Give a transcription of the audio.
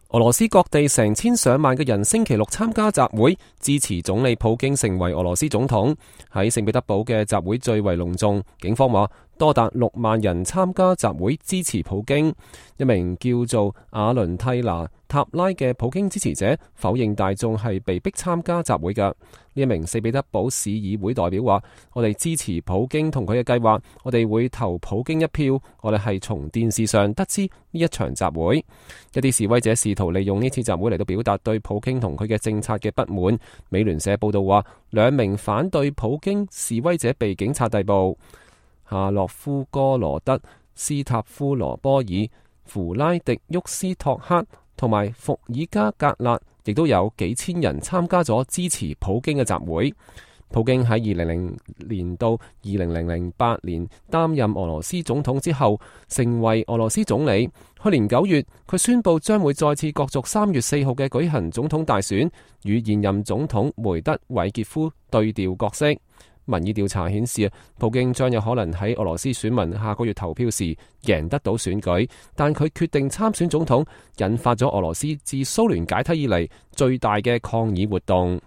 俄羅斯各地成千上萬嘅人星期六參加集會，支持總理普京成為俄羅斯總統。喺聖彼得堡嘅集會最為隆重，警方話多達6萬人參加集會支持普京。一名叫做阿倫蒂娜塔拉嘅普京支持者否認大眾係被逼參加集會嘅。呢一名聖彼得堡市議會代表話：我哋支持普京同佢嘅計劃，我哋會投普京一票。我哋係從電視上得知呢一場集會。一啲示威者試圖利用呢次集會嚟到表達對普京同佢嘅政策嘅不滿。美聯社報道話，2名反對普京示威者被警察逮捕。夏洛夫哥羅德、斯塔夫羅波爾、弗拉迪沃斯托克同埋伏爾加格勒，亦都有幾千人參加咗支持普京嘅集會。普京喺2000年到2008年擔任俄羅斯總統之後，成為俄羅斯總理。去年9月，佢宣布將會再次角逐3月4號嘅舉行總統大選，與現任總統梅德韋傑夫對調角色。民意調查顯示，普京將有可能喺俄羅斯選民下個月投票時贏得到選舉，但佢決定參選總統，引發咗俄羅斯自蘇聯解體以嚟最大嘅抗議活動。